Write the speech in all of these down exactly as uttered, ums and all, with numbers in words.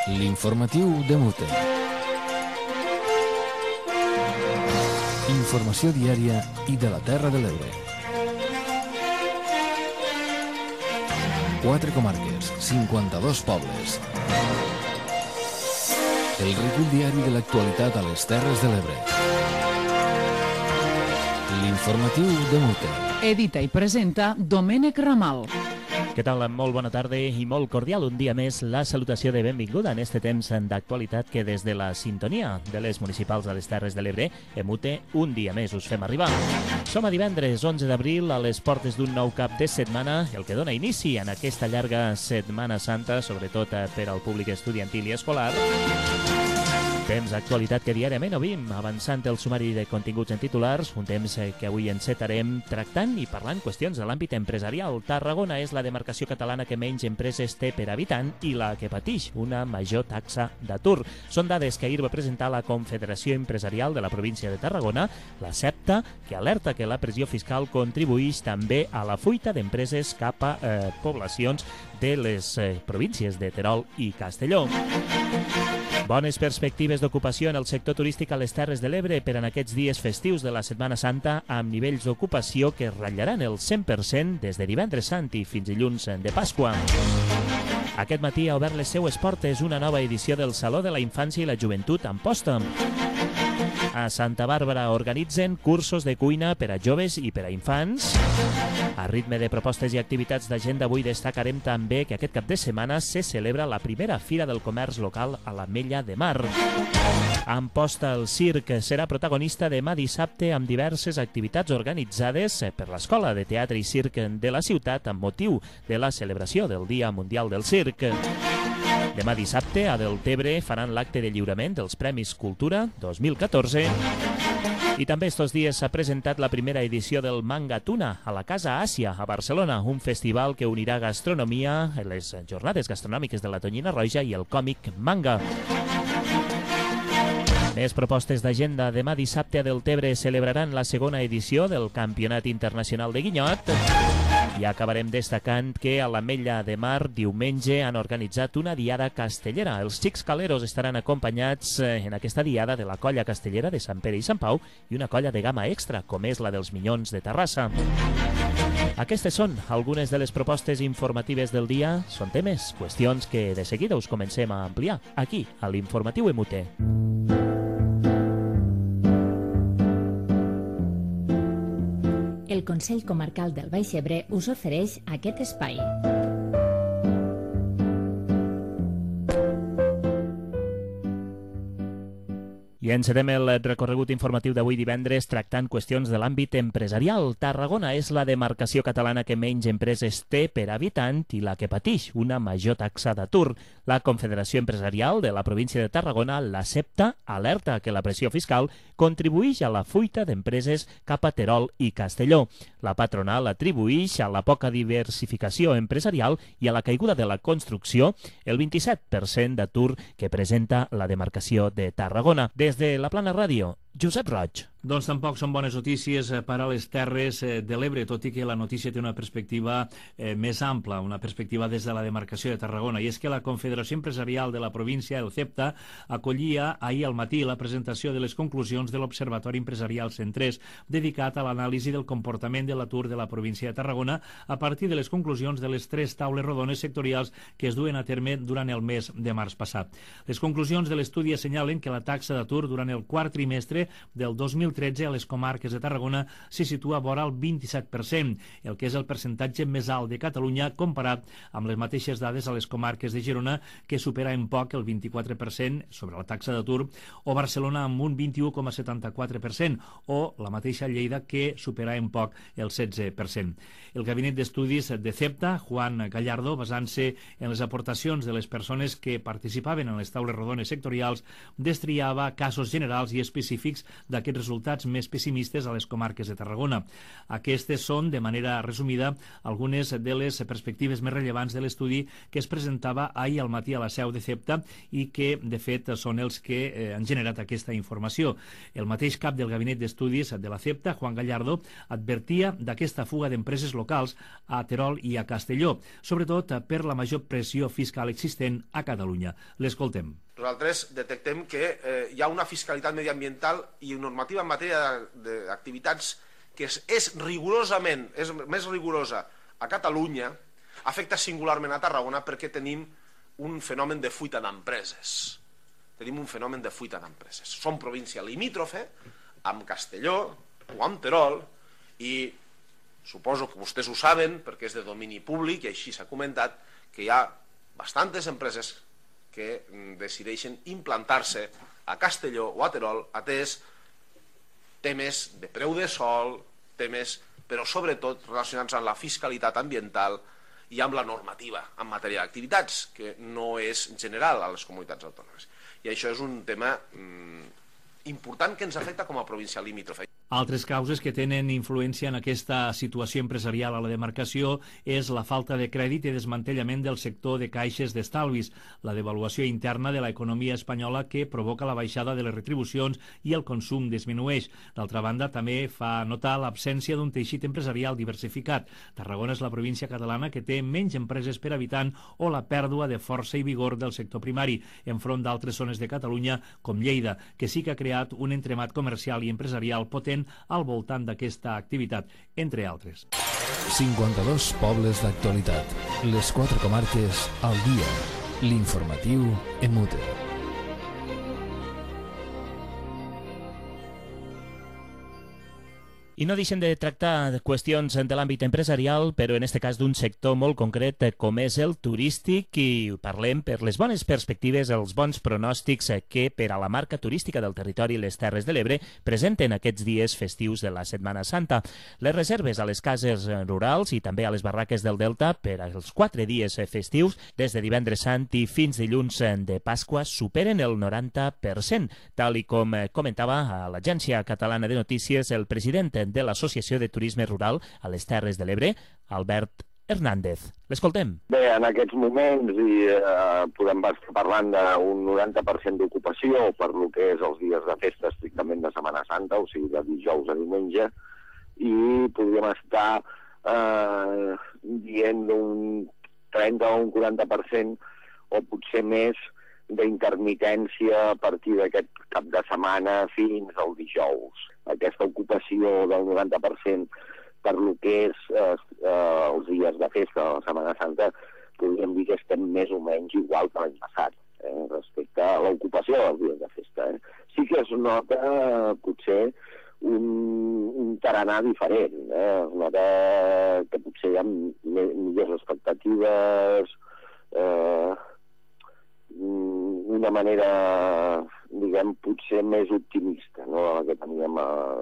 L'informatiu de Mute. Informació diària i de la Terra de l'Ebre. Quatre comarques, cinquanta-dos pobles. El recull diari de l'actualitat a les Terres de l'Ebre. L'informatiu de Mute. Edita i presenta Domènec Ramal. Què tal? Molt bona tarda i molt cordial. Un dia més, la salutació de benvinguda en este temps d'actualitat que des de la sintonia de les municipals de les Terres de l'Ebre, Emute, un dia més us fem arribar. Som a divendres onze d'abril a les portes d'un nou cap de setmana, el que dona inici en aquesta llarga Setmana Santa, sobretot per al públic estudiantil i escolar. Temps d'actualitat que diàriament obrim, avançant el sumari de continguts en titulars, un temps que avui encetarem tractant i parlant qüestions de l'àmbit empresarial. Tarragona és la demarcació catalana que menys empreses té per habitant i la que pateix una major taxa d'atur. Són dades que ahir va presentar la Confederació Empresarial de la província de Tarragona, la CEPTA, que alerta que la pressió fiscal contribueix també a la fuita d'empreses cap a eh, poblacions de les eh, províncies de Terol i Castelló. Bones perspectives d'ocupació en el sector turístic a les Terres de l'Ebre per en aquests dies festius de la Setmana Santa, amb nivells d'ocupació que ratllaran el cent per cent des de divendres sant i fins dilluns de Pasqua. Aquest matí ha obert les seues portes una nova edició del Saló de la Infància i la Joventut Amposta. A Santa Bàrbara organitzen cursos de cuina per a joves i per a infants. A ritme de propostes i activitats d'agenda, avui destacarem també que aquest cap de setmana se celebra la primera Fira del Comerç Local a l'Ametlla de Mar. Amposta el Circ serà protagonista demà dissabte amb diverses activitats organitzades per l'Escola de Teatre i Circ de la ciutat amb motiu de la celebració del Dia Mundial del Circ. Demà dissabte, a Deltebre, faran l'acte de lliurament dels Premis Cultura dos mil catorze. I també estos dies s'ha presentat la primera edició del Manga Tuna a la Casa Àsia, a Barcelona, un festival que unirà gastronomia, les jornades gastronòmiques de la Tonyina Roja i el còmic manga. Més propostes d'agenda. Demà dissabte a Deltebre celebraran la segona edició del Campionat Internacional de Guinyot. I acabarem destacant que a l'Ametlla de Mar diumenge han organitzat una diada castellera. Els xics caleros estaran acompanyats en aquesta diada de la colla castellera de Sant Pere i Sant Pau i una colla de gamma extra, com és la dels Minyons de Terrassa. Aquestes són algunes de les propostes informatives del dia. Són temes, qüestions que de seguida us comencem a ampliar aquí, a l'Informatiu Emute. El Consell Comarcal del Baix Ebre us ofereix aquest espai. I encetem el recorregut informatiu d'avui divendres tractant qüestions de l'àmbit empresarial. Tarragona és la demarcació catalana que menys empreses té per habitant i la que pateix una major taxa d'atur. La Confederació Empresarial de la província de Tarragona, la CEPTA, alerta que la pressió fiscal contribueix a la fuita d'empreses cap a Terol i Castelló. La patronal atribueix a la poca diversificació empresarial i a la caiguda de la construcció el vint-i-set per cent d'atur que presenta la demarcació de Tarragona. Des de la Plana Ràdio, Josep Roig. Doncs tampoc són bones notícies per a les Terres de l'Ebre, tot i que la notícia té una perspectiva eh, més ampla, una perspectiva des de la demarcació de Tarragona, i és que la Confederació Empresarial de la província, el CEPTA, acollia ahir al matí la presentació de les conclusions de l'Observatori Empresarial Centrés, dedicat a l'anàlisi del comportament de l'atur de la província de Tarragona a partir de les conclusions de les tres taules rodones sectorials que es duen a terme durant el mes de març passat. Les conclusions de l'estudi assenyalen que la taxa d'atur durant el quart trimestre del dos mil tretze a les comarques de Tarragona se situa vora el vint-i-set per cent, el que és el percentatge més alt de Catalunya comparat amb les mateixes dades a les comarques de Girona, que supera en poc el vint-i-quatre per cent sobre la taxa d'atur, o Barcelona amb un vint-i-u coma setanta-quatre per cent, o la mateixa Lleida, que supera en poc el setze per cent. El Gabinet d'Estudis de CEPTA, Juan Gallardo, basant-se en les aportacions de les persones que participaven en les taules rodones sectorials, destriava casos generals i específics pronòstics d'aquests resultats més pessimistes a les comarques de Tarragona. Aquestes són, de manera resumida, algunes de les perspectives més rellevants de l'estudi que es presentava ahir al matí a la seu de CEPTA i que, de fet, són els que eh, han generat aquesta informació. El mateix cap del Gabinet d'Estudis de la CEPTA, Juan Gallardo, advertia d'aquesta fuga d'empreses locals a Terol i a Castelló, sobretot per la major pressió fiscal existent a Catalunya. L'escoltem. Nosaltres detectem que eh, hi ha una fiscalitat mediambiental i normativa en matèria d'activitats que és, és rigorosament, és més rigorosa a Catalunya, afecta singularment a Tarragona perquè tenim un fenomen de fuita d'empreses. Tenim un fenomen de fuita d'empreses. Som província limítrofe amb Castelló o amb Terol i suposo que vostès ho saben perquè és de domini públic i així s'ha comentat que hi ha bastantes empreses que decideixen implantar-se a Castelló o a Terol atès temes de preu de sol, temes, però sobretot relacionats amb la fiscalitat ambiental i amb la normativa en matèria d'activitats, que no és general a les comunitats autònomes. I això és un tema mm, important que ens afecta com a província limítrofe. Altres causes que tenen influència en aquesta situació empresarial a la demarcació és la falta de crèdit i desmantellament del sector de caixes d'estalvis, la devaluació interna de l'economia espanyola que provoca la baixada de les retribucions i el consum disminueix. D'altra banda, també fa notar l'absència d'un teixit empresarial diversificat. Tarragona és la província catalana que té menys empreses per habitant o la pèrdua de força i vigor del sector primari, enfront d'altres zones de Catalunya, com Lleida, que sí que ha creat un entremat comercial i empresarial potent al voltant d'aquesta activitat, entre altres. cinquanta-dos pobles d'actualitat. Les quatre comarques al dia. L'informatiu Emute. I no deixen de tractar qüestions de l'àmbit empresarial, però en aquest cas d'un sector molt concret com és el turístic, i parlem per les bones perspectives, els bons pronòstics que per a la marca turística del territori les Terres de l'Ebre presenten aquests dies festius de la Setmana Santa. Les reserves a les cases rurals i també a les barraques del Delta per als quatre dies festius, des de divendres sant i fins dilluns de Pasqua, superen el noranta per cent, tal i com comentava a l'Agència Catalana de Notícies el president de l'Associació de Turisme Rural a les Terres de l'Ebre, Albert Hernández. L'escoltem. Bé, en aquests moments i, eh, podem estar parlant d'un noranta per cent d'ocupació per lo que és els dies de festa estrictament de Setmana Santa, o sigui, de dijous a diumenge, i podríem estar eh, dient un trenta o un quaranta per cent o potser més d'intermitència a partir d'aquest cap de setmana fins al dijous. Aquesta ocupació del noranta per cent per lo que és eh, eh, els dies de festa de la Setmana Santa, podríem dir que estem més o menys igual que l'any passat, eh, respecte a l'ocupació dels dies de festa. Eh. Sí que es nota eh, potser un, un tarannà diferent, eh. Es nota que potser hi ha millors expectatives, eh, una manera, diguem, potser més optimista, no?, la que teníem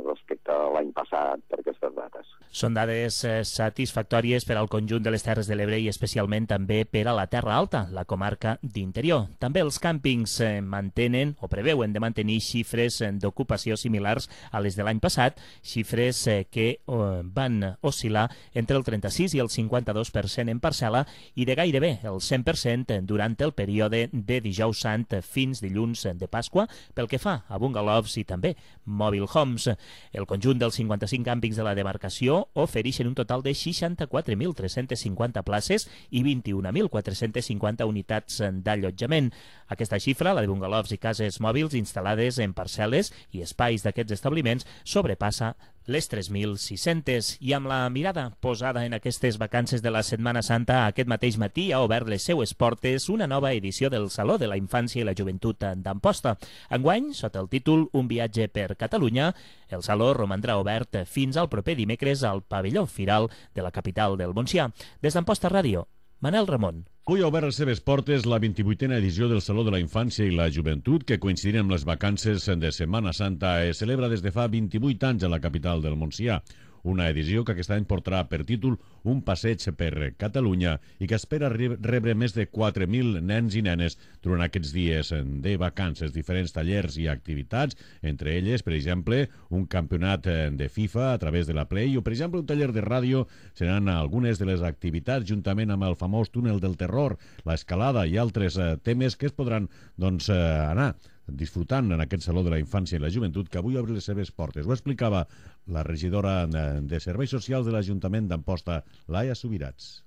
respecte a l'any passat per aquestes dates. Són dades eh, satisfactòries per al conjunt de les Terres de l'Ebre i especialment també per a la Terra Alta, la comarca d'interior. També els càmpings eh, mantenen o preveuen de mantenir xifres eh, d'ocupació similars a les de l'any passat, xifres eh, que eh, van oscil·lar entre el trenta-sis i el cinquanta-dos per cent en parcel·la i de gairebé el cent per cent durant el període de dijous sant fins dilluns de Pasqua, pel que fa a bungalows i també mobile homes. El conjunt dels cinquanta-cinc càmpings de la demarcació ofereixen un total de seixanta-quatre mil tres-cents cinquanta places i vint-i-un mil quatre-cents cinquanta unitats d'allotjament. Aquesta xifra, la de bungalows i cases mòbils instal·lades en parcel·les i espais d'aquests establiments, sobrepassa les tres mil sis-cents. I amb la mirada posada en aquestes vacances de la Setmana Santa, aquest mateix matí ha obert les seues portes una nova edició del Saló de la Infància i la Joventut d'Amposta. Enguany, sota el títol Un viatge per Catalunya, el Saló romandrà obert fins al proper dimecres al pavelló Firal de la capital del Montsià. Des d'Amposta Ràdio, Manel Ramon. Avui ha obert les seves portes la vint-i-vuitena edició del Saló de la Infància i la Joventut, que coincidint amb les vacances de Setmana Santa es celebra des de fa vint-i-vuit anys a la capital del Montsià. una edició que aquest any portarà per títol Un passeig per Catalunya i que espera rebre més de quatre mil nens i nenes durant aquests dies de vacances, diferents tallers i activitats, entre elles, per exemple, un campionat de FIFA a través de la Play o, per exemple, un taller de ràdio. Seran algunes de les activitats juntament amb el famós túnel del terror, l'escalada i altres eh, temes que es podran doncs, eh, anar disfrutant en aquest Saló de la Infància i la Joventut que avui obre les seves portes. Ho explicava la regidora de Serveis Socials de l'Ajuntament d'Amposta, Laia Subirats.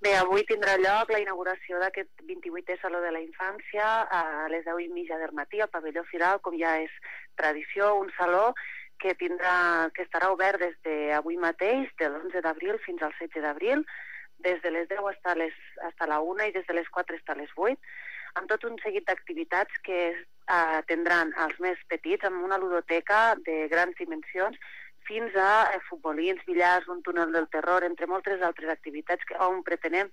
Bé, avui tindrà lloc la inauguració d'aquest vint-i-vuitè Saló de la Infància a les deu i mitja del matí al pavelló Firal, com ja és tradició, un saló que tindrà, que estarà obert des d'avui mateix, de l'onze d'abril fins al setze d'abril, des de les deu fins les, fins la una i des de les quatre fins a les vuit, amb tot un seguit d'activitats que eh, tindran els més petits, amb una ludoteca de grans dimensions, fins a eh, futbolins, billars, un túnel del terror, entre moltes altres activitats que, on pretenem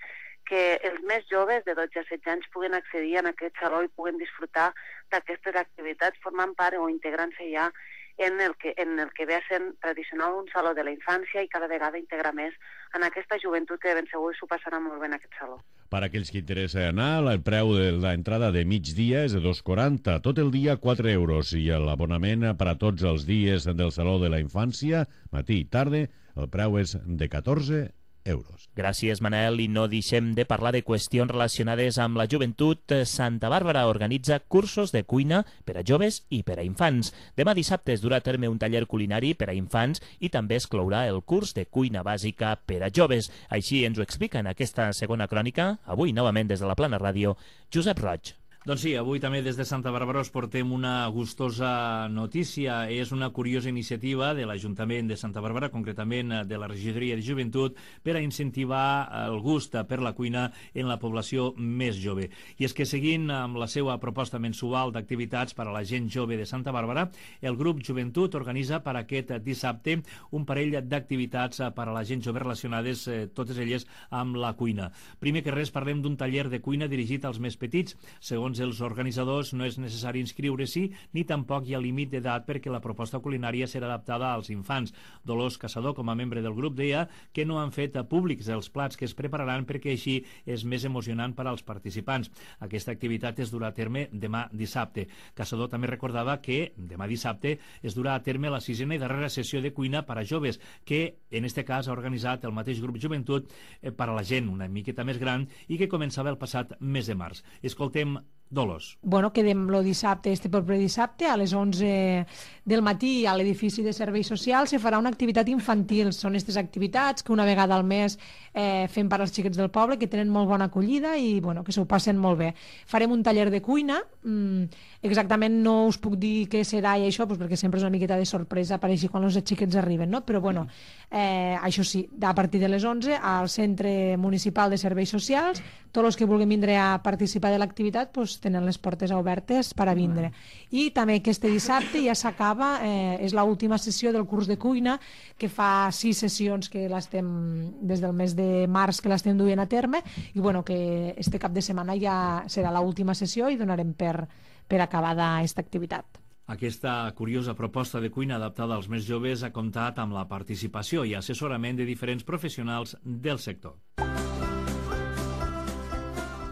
que els més joves de dotze a setze anys puguen accedir a aquest saló i puguen disfrutar d'aquestes activitats formant part o integrant-se ja en el, que, en el que ve a ser tradicional un saló de la infància i cada vegada integra més en aquesta joventut que de ben segur s'ho passarà molt bé en aquest saló. Per a aquells que interessa anar, el preu de l'entrada de migdia és de dos quaranta, tot el dia quatre euros, i l'abonament per a tots els dies del Saló de la Infància, matí i tarda, el preu és de catorze euros. Gràcies, Manel, i no deixem de parlar de qüestions relacionades amb la joventut. Santa Bàrbara organitza cursos de cuina per a joves i per a infants. Demà dissabte es durà a terme un taller culinari per a infants i també es clourà el curs de cuina bàsica per a joves. Així ens ho explica en aquesta segona crònica, avui novament des de la Plana Ràdio, Josep Roig. Doncs sí, avui també des de Santa Bàrbara us portem una gustosa notícia. És una curiosa iniciativa de l'Ajuntament de Santa Bàrbara, concretament de la Regidoria de Joventut, per a incentivar el gust per la cuina en la població més jove. I és que seguint amb la seva proposta mensual d'activitats per a la gent jove de Santa Bàrbara, el grup Joventut organitza per aquest dissabte un parell d'activitats per a la gent jove relacionades, eh, totes elles, amb la cuina. Primer que res parlem d'un taller de cuina dirigit als més petits. Segons els organitzadors, no és necessari inscriure-s'hi ni tampoc hi ha límit d'edat perquè la proposta culinària serà adaptada als infants. Dolors Caçador, com a membre del grup, deia que no han fet públics els plats que es prepararan perquè així és més emocionant per als participants. Aquesta activitat es durà a terme demà dissabte. Caçador també recordava que demà dissabte es durà a terme la sisena i darrera sessió de cuina per a joves, que en este cas ha organitzat el mateix grup Joventut eh, per a la gent una miqueta més gran i que començava el passat mes de març. Escoltem Dolors. Bueno, quedem el dissabte, este proper dissabte, a les onze del matí a l'edifici de Serveis Socials se farà una activitat infantil. Són aquestes activitats que una vegada al mes eh, fem per als xiquets del poble, que tenen molt bona acollida i bueno, que s'ho passen molt bé. Farem un taller de cuina, mm, exactament no us puc dir què serà i això, doncs perquè sempre és una miqueta de sorpresa, apareixi quan els xiquets arriben, no? Però bueno, eh, això sí, a partir de les onze al Centre Municipal de Serveis Socials, tots els que vulguin vindre a participar de l'activitat doncs, tenen les portes obertes per a vindre. I també aquest dissabte ja s'acaba, eh, és l'última sessió del curs de cuina, que fa sis sessions que l'estem, des del mes de març que l'estem duent a terme, i bueno, que este cap de setmana ja serà l'última sessió i donarem per, per acabada aquesta activitat. Aquesta curiosa proposta de cuina adaptada als més joves ha comptat amb la participació i assessorament de diferents professionals del sector.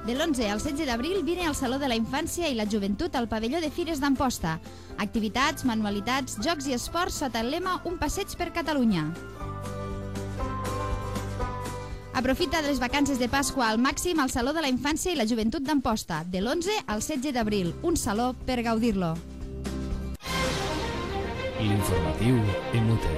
De l'onze al setze d'abril vine al Saló de la Infància i la Joventut al pavelló de Fires d'Amposta. Activitats, manualitats, jocs i esports sota el lema Un passeig per Catalunya. Aprofita de les vacances de Pasqua al màxim al Saló de la Infància i la Joventut d'Amposta, de l'onze al setze d'abril. Un saló per gaudir-lo. L'informatiu M U T.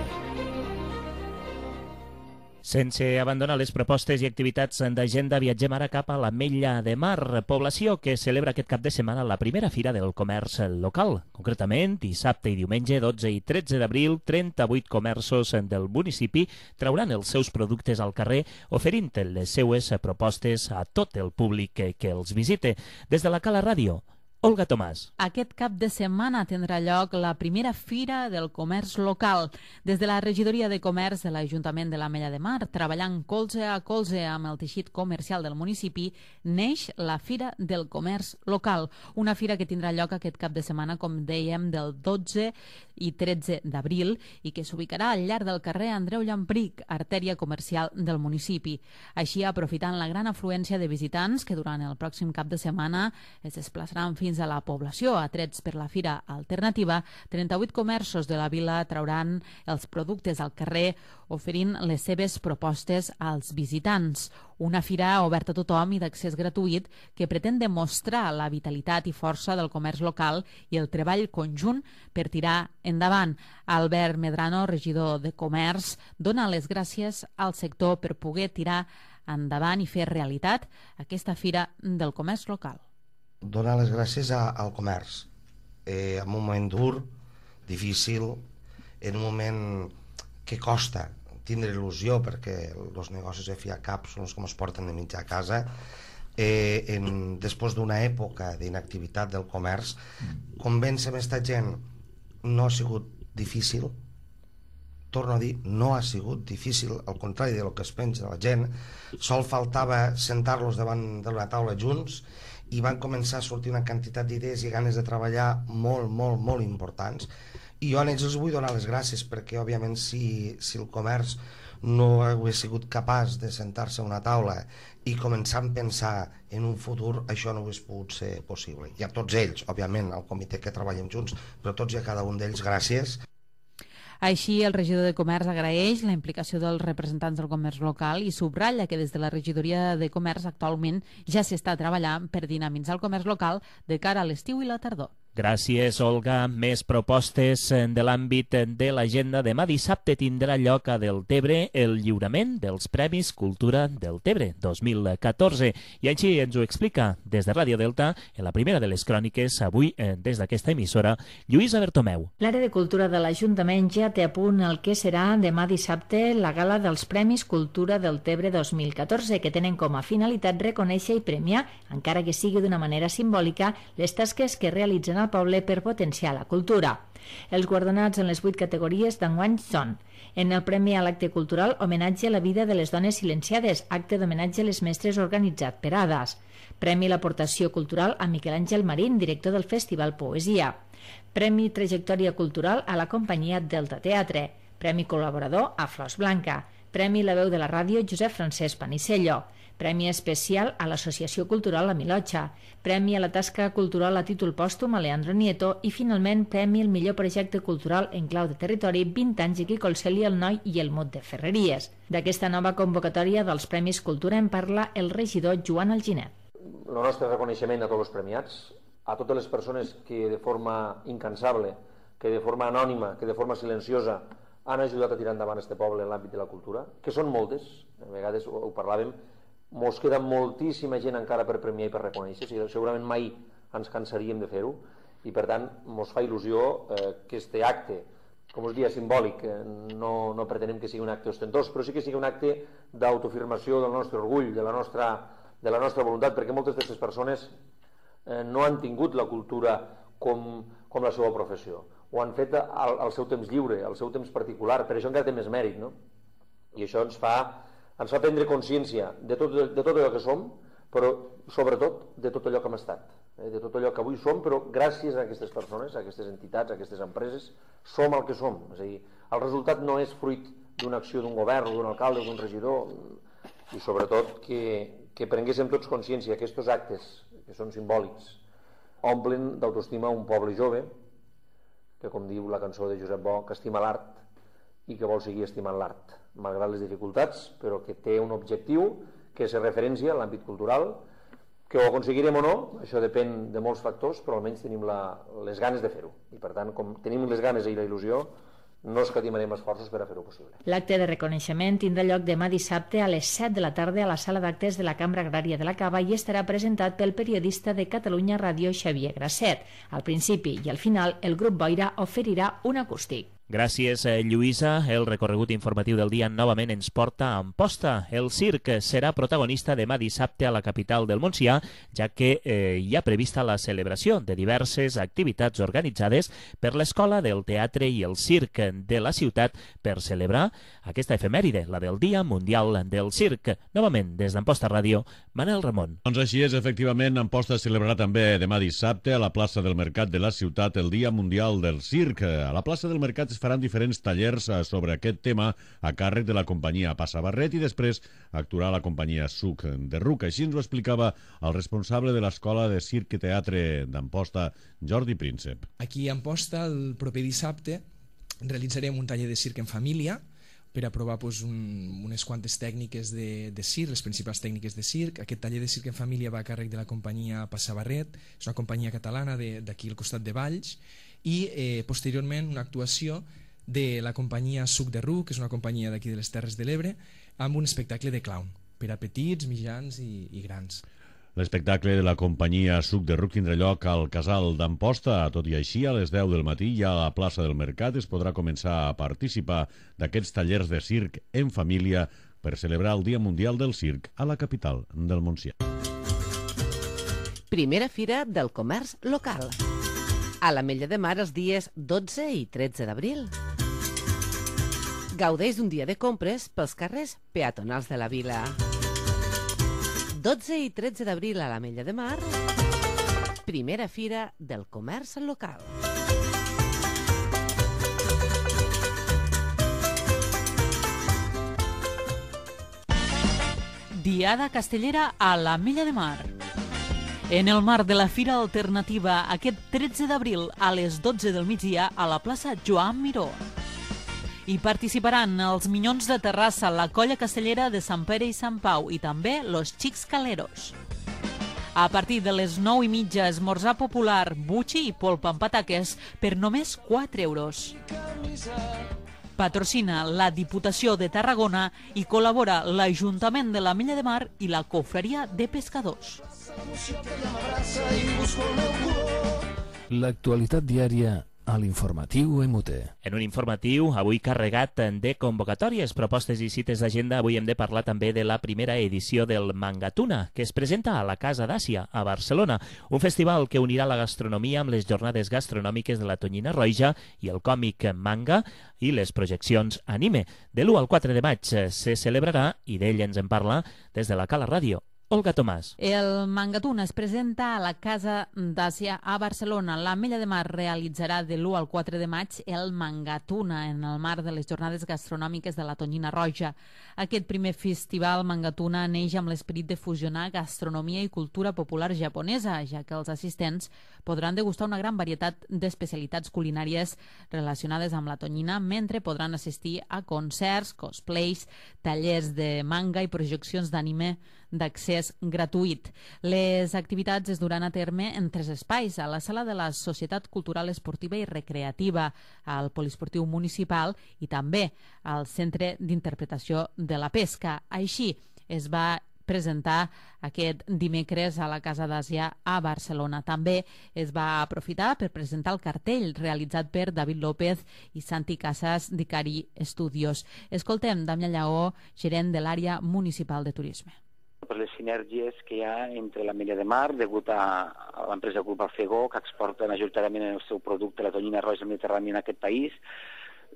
Sense abandonar les propostes i activitats d'agenda, viatgem ara cap a l'Ametlla de Mar, població que celebra aquest cap de setmana la primera fira del comerç local. Concretament, dissabte i diumenge, dotze i tretze d'abril, trenta-vuit comerços del municipi trauran els seus productes al carrer, oferint les seues propostes a tot el públic que, que els visite. Des de la Cala Ràdio, Olga Tomàs. Aquest cap de setmana tindrà lloc la primera fira del comerç local. Des de la Regidoria de Comerç de l'Ajuntament de l'Ametlla de Mar, treballant colze a colze amb el teixit comercial del municipi, neix la Fira del Comerç Local. Una fira que tindrà lloc aquest cap de setmana, com dèiem, del dotze i tretze d'abril i que s'ubicarà al llarg del carrer Andreu Llampric, artèria comercial del municipi. Així, aprofitant la gran afluència de visitants que durant el pròxim cap de setmana es desplaçaran fins a la població, atrets per la Fira Alternativa, trenta-vuit comerços de la vila trauran els productes al carrer oferint les seves propostes als visitants. Una fira oberta a tothom i d'accés gratuït que pretén demostrar la vitalitat i força del comerç local i el treball conjunt per tirar endavant. Albert Medrano, regidor de Comerç, dona les gràcies al sector per poder tirar endavant i fer realitat aquesta fira del comerç local. Donar les gràcies a, al comerç. Eh, en un moment dur, difícil, en un moment que costa tindre il·lusió perquè els negocis de fi a cap són els que ens porten de mitjà a casa. Eh, en, després d'una època d'inactivitat del comerç, convèncer aquesta gent no ha sigut difícil. Torno a dir, no ha sigut difícil, al contrari del que es pensa la gent. Sol faltava sentar-los davant d'una taula junts i van començar a sortir una quantitat d'idees i ganes de treballar molt, molt, molt importants. I jo a ells els vull donar les gràcies perquè, òbviament, si, si el comerç no hagués sigut capaç de sentar-se a una taula i començar a pensar en un futur, això no hagués pogut ser possible. I a tots ells, òbviament, al comitè que treballem junts, però tots i a cada un d'ells, gràcies. Així, el regidor de Comerç agraeix la implicació dels representants del comerç local i subratlla que des de la regidoria de Comerç actualment ja s'està treballant per dinamitzar el comerç local de cara a l'estiu i la tardor. Gràcies, Olga. Més propostes de l'àmbit de l'agenda. Demà dissabte tindrà lloc a Deltebre el lliurament dels Premis Cultura Deltebre dos mil catorze. I així ens ho explica des de Ràdio Delta, en la primera de les cròniques, avui des d'aquesta emissora, Lluïsa Bertomeu. L'àrea de cultura de l'Ajuntament ja té a punt el que serà demà dissabte la gala dels Premis Cultura Deltebre dos mil catorze, que tenen com a finalitat reconèixer i premiar, encara que sigui d'una manera simbòlica, les tasques que realitzen al poble per potenciar la cultura. Els guardonats en les vuit categories d'enguany són: en el Premi a l'Acte Cultural, homenatge a la vida de les dones silenciades, acte d'homenatge a les mestres organitzat per A D A S. Premi a l'aportació cultural a Miquel Àngel Marín, director del Festival Poesia. Premi Trajectòria Cultural a la companyia Delta Teatre. Premi Col·laborador a Flors Blanca. Premi La Veu de la Ràdio Josep Francesc Panicello. Premi especial a l'Associació Cultural La Milotxa, Premi a la tasca cultural a títol pòstum a Leandro Nieto i, finalment, Premi al millor projecte cultural en clau de territori vint anys aquí Colceli, el Noi i el Mot de Ferreries. D'aquesta nova convocatòria dels Premis Cultura en parla el regidor Joan Alginet. El nostre reconeixement a tots els premiats, a totes les persones que de forma incansable, que de forma anònima, que de forma silenciosa han ajudat a tirar endavant este poble en l'àmbit de la cultura, que són moltes, a vegades ho parlàvem, mos queda moltíssima gent encara per premiar i per reconèixer, segurament mai ens cansaríem de fer-ho, i per tant mos fa il·lusió eh, que este acte, com us dia, simbòlic, eh, no, no pretenem que sigui un acte ostentós, però sí que sigui un acte d'autoafirmació del nostre orgull, de la nostra, de la nostra voluntat, perquè moltes d'aquestes persones eh, no han tingut la cultura com, com la seva professió, ho han fet al, al seu temps lliure, al seu temps particular, per això encara té més mèrit, no? I això ens fa ens fa prendre consciència de tot, de tot allò que som, però sobretot de tot allò que hem estat, eh? de tot allò que avui som, però gràcies a aquestes persones, a aquestes entitats, a aquestes empreses, som el que som. És a dir, el resultat no és fruit d'una acció d'un govern, d'un alcalde, d'un regidor, i sobretot que, que prenguéssim tots consciència que aquests actes, que són simbòlics, omplen d'autoestima un poble jove, que, com diu la cançó de Josep Bo, que estima l'art i que vol seguir estimant l'art, malgrat les dificultats, però que té un objectiu que és referència a l'àmbit cultural, que ho aconseguirem o no, això depèn de molts factors, però almenys tenim la, les ganes de fer-ho. I per tant, com tenim les ganes i la il·lusió, no escatimarem esforços per a fer-ho possible. L'acte de reconeixement tindrà lloc demà dissabte a les set de la tarda a la sala d'actes de la Cambra Agrària de la Cava i estarà presentat pel periodista de Catalunya Ràdio Xavier Grasset. Al principi i al final, el grup Boira oferirà un acústic. Gràcies, Lluïsa. El recorregut informatiu del dia novament ens porta a Amposta. El circ serà protagonista demà dissabte a la capital del Montsià, ja que eh, hi ha prevista la celebració de diverses activitats organitzades per l'Escola del Teatre i el Circ de la ciutat per celebrar aquesta efemèride, la del Dia Mundial del Circ. Novament, des d'Amposta Ràdio, Manel Ramon. Doncs així és, efectivament, Amposta celebrarà també demà dissabte a la plaça del Mercat de la ciutat el Dia Mundial del Circ. A la plaça del Mercat es faran diferents tallers sobre aquest tema a càrrec de la companyia Passa Barret i després actuarà la companyia Suc de Ruc. Així ens ho explicava el responsable de l'Escola de Circ i Teatre d'Amposta, Jordi Príncep. Aquí a Amposta, el proper dissabte, realitzarem un taller de circ en família per a provar pues, un, unes quantes tècniques de, de circ, les principals tècniques de circ. Aquest taller de circ en família va a càrrec de la companyia Passa Barret, és una companyia catalana d'aquí al costat de Valls, i eh, posteriorment una actuació de la companyia Suc de Ruc, que és una companyia d'aquí de les Terres de l'Ebre, amb un espectacle de clown per a petits, mitjans i, i grans. L'espectacle de la companyia Suc de Ruc tindrà lloc al Casal d'Amposta. Tot i així, a les deu del matí, ja a la plaça del Mercat es podrà començar a participar d'aquests tallers de circ en família per celebrar el Dia Mundial del Circ a la capital del Montsià. Primera Fira del Comerç Local. A l'Ametlla de Mar els dies dotze i tretze d'abril. Gaudeix d'un dia de compres pels carrers peatonals de la vila. dotze i tretze d'abril a l'Ametlla de Mar, Primera Fira del Comerç Local. Diada Castellera a l'Ametlla de Mar. En el marc de la Fira Alternativa, aquest tretze d'abril a les dotze del migdia a la plaça Joan Miró. Hi participaran els Minyons de Terrassa, la Colla Castellera de Sant Pere i Sant Pau i també los Xics Caleros. A partir de les nou i mitja, esmorzar popular, butxi i polpa amb pataques per només quatre euros. Patrocina la Diputació de Tarragona i col·labora l'Ajuntament de l'Ametlla de Mar i la Cofreria de Pescadors. L'actualitat diària a l'informatiu E M U T E. En un informatiu avui carregat de convocatòries, propostes i cites d'agenda, avui hem de parlar també de la primera edició del Mangatuna, que es presenta a la Casa d'Àsia, a Barcelona, un festival que unirà la gastronomia amb les jornades gastronòmiques de la Tonyina Roja i el còmic manga i les projeccions anime. De l'u al quatre de maig se celebrarà, i d'ell ens en parla des de la Cala Ràdio, Olga Tomàs. El Mangatuna es presenta a la Casa d'Àsia a Barcelona. l'Ametlla de Mar realitzarà de l'u al quatre de maig el Mangatuna en el marc de les jornades gastronòmiques de la Tonyina Roja. Aquest primer festival Mangatuna neix amb l'esperit de fusionar gastronomia i cultura popular japonesa, ja que els assistents podran degustar una gran varietat d'especialitats culinàries relacionades amb la tonyina, mentre podran assistir a concerts, cosplays, tallers de manga i projeccions d'anime d'accés gratuït. Les activitats es duran a terme en tres espais: a la sala de la Societat Cultural Esportiva i Recreativa, al Poliesportiu Municipal i també al Centre d'Interpretació de la Pesca. Així es va presentar aquest dimecres a la Casa d'Àsia a Barcelona. També es va aprofitar per presentar el cartell realitzat per David López i Santi Casas d'Icari Studios. Escoltem Damià Lleó, gerent de l'àrea municipal de turisme. Per les sinergies que hi ha entre l'Ametlla de Mar, degut a, a l'empresa Grup Alfegó, que exporta majoritàriament el seu producte, la tonyina roja mediterrània, en aquest país,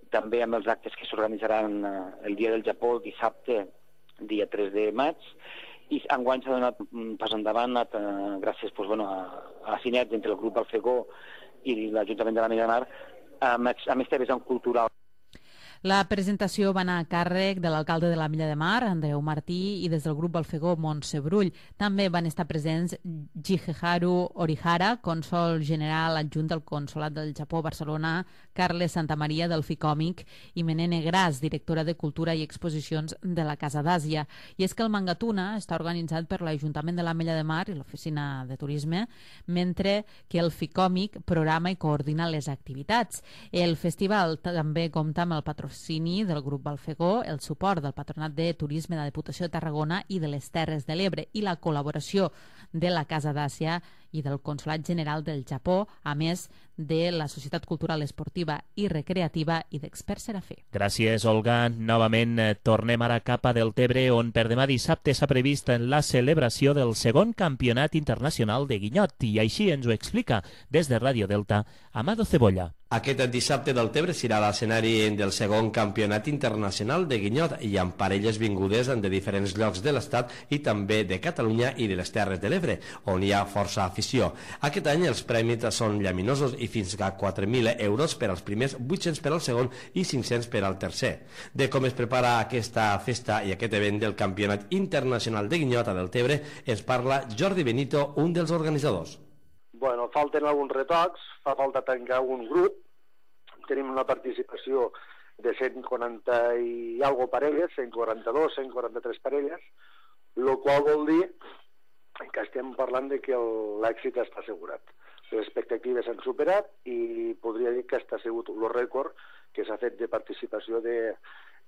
també amb els actes que s'organitzaran el dia del Japó, dissabte, dia tres de maig, i enguany s'ha donat un pas endavant a, a, gràcies pues, bueno, a, a la sinergia entre el Grup Alfegó i l'Ajuntament de l'Ametlla de Mar, amb, amb este vessant cultural. La presentació va anar a càrrec de l'alcalde de l'Ametlla de Mar, Andreu Martí, i des del grup Alfegó, Montse Brull. També van estar presents Jigeharu Orihara, cònsol general adjunt del Consolat del Japó a Barcelona, Carles Santamaria del Ficòmic i Menene Gras, directora de Cultura i Exposicions de la Casa d'Àsia. I és que el Mangatuna està organitzat per l'Ajuntament de l'Ametlla de Mar i l'Oficina de Turisme, mentre que el Ficòmic programa i coordina les activitats. El festival també compta amb el patrocini del grup Alfegó, el suport del Patronat de Turisme de la Diputació de Tarragona i de les Terres de l'Ebre i la col·laboració de la Casa d'Àsia i del Consolat General del Japó, a més de la Societat Cultural Esportiva i Recreativa i d'Experts Serafé. Gràcies, Olga. Novament eh, tornem ara cap a Deltebre, on per demà dissabte s'ha previst la celebració del segon Campionat Internacional de Guinyot, i així ens ho explica des de Ràdio Delta Amado Cebolla. Aquest dissabte Deltebre serà l'escenari del segon Campionat Internacional de Guinyot i amb parelles vingudes de diferents llocs de l'Estat i també de Catalunya i de les Terres de l'Ebre, on hi ha força afició. Aquest any els premis són llaminosos i fins a quatre mil euros per als primers, vuit-cents per al segon i cinc-cents per al tercer. De com es prepara aquesta festa i aquest event del Campionat Internacional de Guinyot a Deltebre ens parla Jordi Benito, un dels organitzadors. Bueno, falten alguns retocs, fa falta tancar un grup, tenim una participació de cent quaranta i algo parelles, cent quaranta-dos, cent quaranta-tres parelles, el qual vol dir que estem parlant de que l'èxit està assegurat. Les expectatives s'han superat i podria dir que està sigut el rècord que s'ha fet de participació de,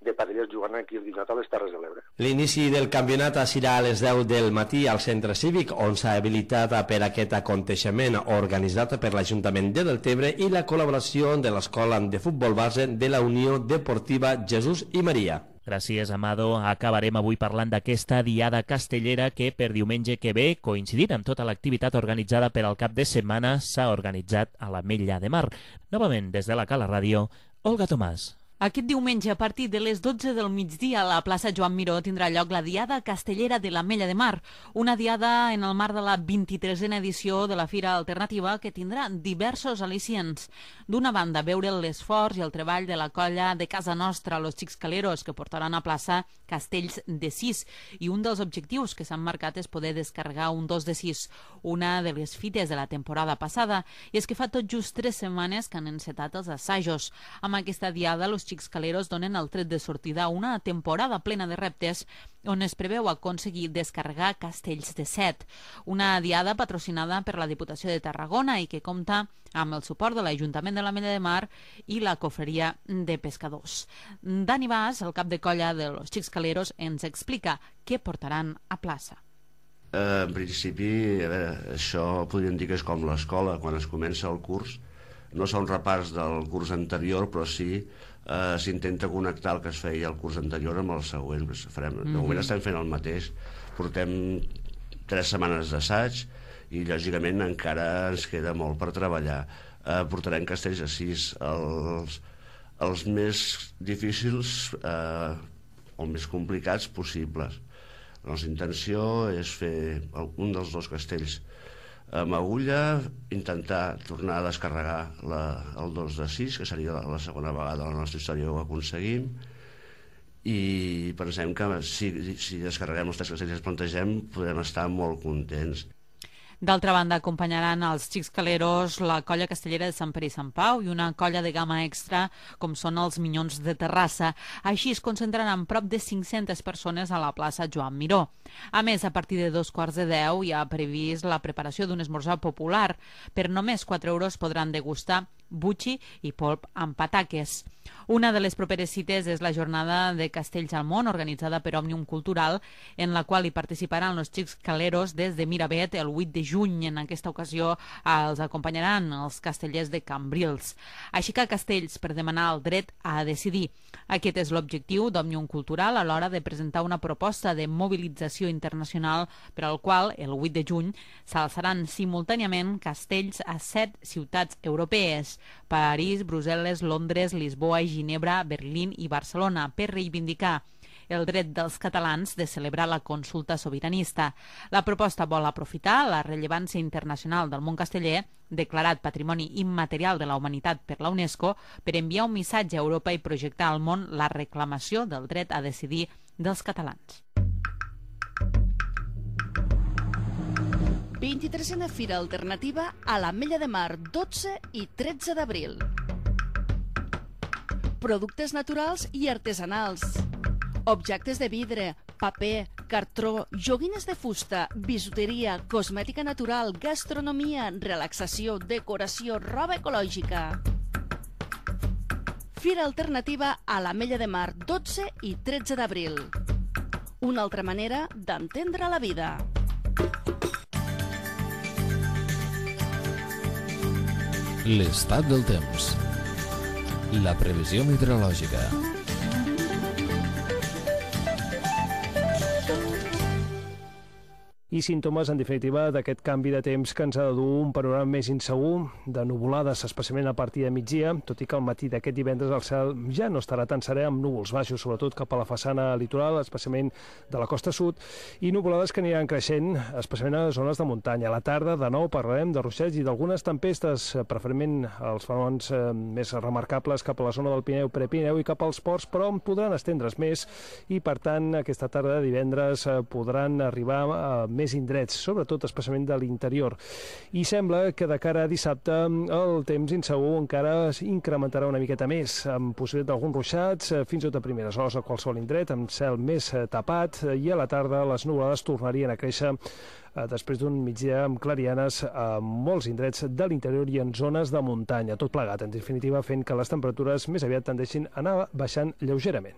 de parelles jugant aquí al Guinyot a les Terres de l'Ebre. L'inici del campionat serà a les deu del matí al centre cívic, on s'ha habilitat per aquest aconteixement organitzat per l'Ajuntament de Deltebre i la col·laboració de l'Escola de Futbol Base de la Unió Deportiva Jesús i Maria. Gràcies, Amado. Acabarem avui parlant d'aquesta diada castellera que per diumenge que ve, coincidint amb tota l'activitat organitzada per al cap de setmana, s'ha organitzat a l'Ametlla de Mar. Novament, des de la Cala Ràdio, Olga Tomàs. Aquest diumenge, a partir de les dotze del migdia, a la plaça Joan Miró tindrà lloc la Diada Castellera de l'Ametlla de Mar, una diada en el marc de la vint-i-tresena edició de la Fira Alternativa que tindrà diversos al·licients. D'una banda, veure l'esforç i el treball de la colla de casa nostra, los Xixcaleros, que portaran a plaça castells de sis, i un dels objectius que s'han marcat és poder descarregar un dos de sis, una de les fites de la temporada passada, i és que fa tot just tres setmanes que han encetat els assajos. Amb aquesta diada, los Xixcaleros donen el tret de sortida a una temporada plena de reptes on es preveu aconseguir descarregar castells de set. Una diada patrocinada per la Diputació de Tarragona i que compta amb el suport de l'Ajuntament de l'Ametlla de Mar i la Cofreria de Pescadors. Dani Bas, el cap de colla de los Xixcaleros, ens explica què portaran a plaça. Eh, en principi, a veure, això podríem dir que és com l'escola, quan es comença el curs. No són repars del curs anterior, però sí eh, s'intenta connectar el que es feia el curs anterior amb el següent. Farem, de moment estem fent el mateix. Portem tres setmanes d'assaig i, lògicament, encara ens queda molt per treballar. Eh, portarem castells a sis, els, els més difícils eh, o més complicats possibles. La nostra intenció és fer un dels dos castells amb agulla, intentar tornar a descarregar la, el dos de sis, que seria la, la segona vegada a la nostra història que ho aconseguim, i pensem que si, si descarreguem els tres castells que ens plantegem podrem estar molt contents. D'altra banda, acompanyaran els Xixcaleros la colla castellera de Sant Pere i Sant Pau i una colla de gamma extra com són els Minyons de Terrassa. Així es concentraran prop de cinc-centes persones a la plaça Joan Miró. A més, a partir de dos quarts de deu hi ha previst la preparació d'un esmorzar popular. Per només quatre euros podran degustar butxi i polp amb pataques. Una de les properes cites és la jornada de Castells al Món, organitzada per Òmnium Cultural, en la qual hi participaran els Xixcaleros des de Miravet el vuit de juny. En aquesta ocasió els acompanyaran els castellers de Cambrils. Aixecar castells per demanar el dret a decidir. Aquest és l'objectiu d'Òmnium Cultural a l'hora de presentar una proposta de mobilització internacional per al qual, el vuit de juny, s'alçaran simultàniament castells a set ciutats europees: París, Brussel·les, Londres, Lisboa, Ginebra, Berlín i Barcelona, per reivindicar el dret dels catalans de celebrar la consulta sobiranista. La proposta vol aprofitar la rellevància internacional del món casteller, declarat Patrimoni Immaterial de la Humanitat per la UNESCO, per enviar un missatge a Europa i projectar al món la reclamació del dret a decidir dels catalans. vint-i-tresena Fira Alternativa a l'Ametlla de Mar, dotze i tretze d'abril. Productes naturals i artesanals, objectes de vidre, paper, cartró, joguines de fusta, bisuteria, cosmètica natural, gastronomia, relaxació, decoració, roba ecològica. Fira Alternativa a l'Ametlla de Mar, dotze i tretze d'abril. Una altra manera d'entendre la vida. L'estat del temps. La previsió meteorològica. I símptomes, en definitiva, d'aquest canvi de temps que ens ha de dur un panorama més insegur, de nuvolades, especialment a partir de migdia, tot i que al matí d'aquest divendres el cel ja no estarà tan serè, amb núvols baixos, sobretot cap a la façana litoral, especialment de la costa sud, i nuvolades que aniran creixent, especialment a les zones de muntanya. A la tarda, de nou, parlarem de ruixats i d'algunes tempestes, preferentment els fenòmens eh, més remarcables cap a la zona del Pirineu, Prepirineu i cap als ports, però podran estendre's més i, per tant, aquesta tarda de divendres eh, podran arribar a més indrets, sobretot especialment de l'interior. I sembla que de cara a dissabte el temps insegur encara incrementarà una miqueta més, amb possibilitat d'alguns ruixats, fins i tot a primeres hores a qualsevol indret, amb cel més tapat, i a la tarda les nuvolades tornarien a créixer després d'un migdia amb clarianes a molts indrets de l'interior i en zones de muntanya. Tot plegat, en definitiva, fent que les temperatures més aviat tendeixin a anar baixant lleugerament.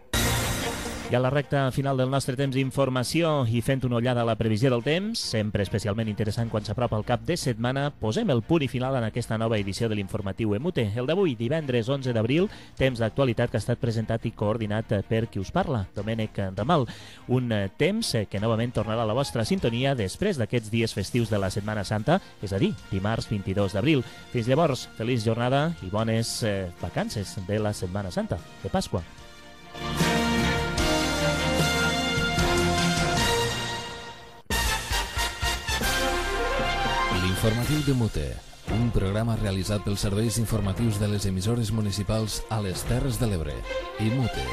I a la recta final del nostre temps d'informació i fent una ullada a la previsió del temps, sempre especialment interessant quan s'apropa el cap de setmana, posem el punt i final en aquesta nova edició de l'informatiu EMUTE. El d'avui, divendres onze d'abril, temps d'actualitat que ha estat presentat i coordinat per qui us parla, Domènec Ramal. Un temps que novament tornarà a la vostra sintonia després d'aquests dies festius de la Setmana Santa, és a dir, dimarts vint-i-dos d'abril. Fins llavors, feliç jornada i bones eh, vacances de la Setmana Santa, de Pasqua. Informatiu de Mute, un programa realitzat pels serveis informatius de les emissores municipals a les Terres de l'Ebre. I Mute.